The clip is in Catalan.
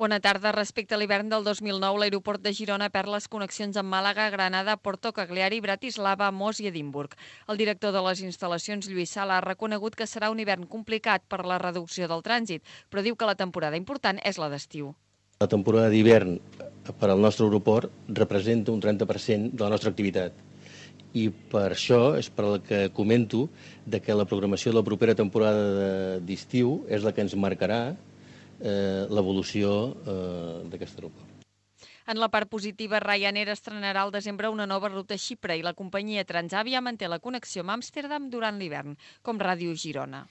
Bona tarda. Respecte a l'hivern del 2009, l'aeroport de Girona perd les connexions amb Màlaga, Granada, Porto Cagliari, Bratislava, Mos i Edimburg. El director de les instal·lacions, Lluís Sala, ha reconegut que serà un hivern complicat per la reducció del trànsit, però diu que la temporada important és la d'estiu. La temporada d'hivern per al nostre aeroport representa un 30% de la nostra activitat. I per això és per al que comento que la programació de la propera temporada d'estiu és la que ens marcarà l'evolució d'aquest aeroport. En la part positiva, Ryanair estrenarà al desembre una nova ruta a Xipre i la companyia Transavia manté la connexió amb Amsterdam durant l'hivern, com Ràdio Girona.